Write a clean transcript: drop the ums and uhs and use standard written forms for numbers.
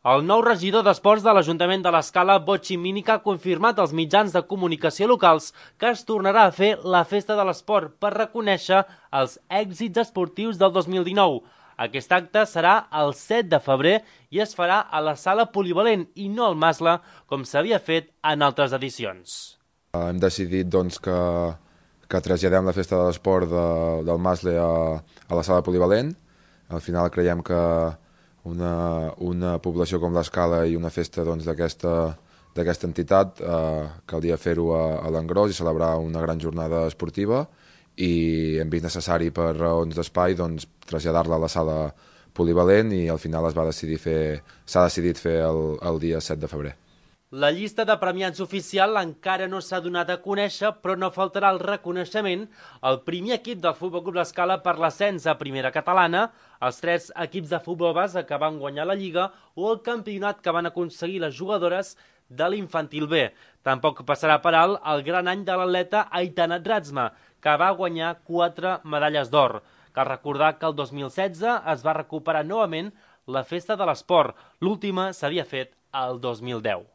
El nou regidor d'Esports de l'Ajuntament de l'Escala, Botxi Mínica, ha confirmat als mitjans de comunicació locals que es tornarà a fer la Festa de l'Esport per reconèixer els èxits esportius del 2019. Aquest acte serà el 7 de febrer i es farà a la Sala Polivalent i no al Masle, com s'havia fet en altres edicions. Hem decidit que traslladem la Festa de l'Esport del Masle a la Sala Polivalent. Al final creiem que una població com l'Escala i una festa d'aquesta entitat caldria fer-ho a l'engròs i celebrar una gran jornada esportiva, i hem vist necessari per raons d'espai traslladar-la a la sala polivalent, i al final s'ha decidit fer el dia 7 de febrer. La llista de premiats oficial encara no s'ha donat a conèixer, però no faltarà el reconeixement al primer equip del Futbol Club l'Escala per l'ascens a Primera Catalana, els 3 equips de futbol base que van guanyar la Lliga o el campionat que van aconseguir les jugadores de l'Infantil B. Tampoc passarà per alt el gran any de l'atleta Aitana Dratsma, que va guanyar 4 medalles d'or. Cal recordar que el 2016 es va recuperar novament la Festa de l'Esport. L'última s'havia fet el 2010.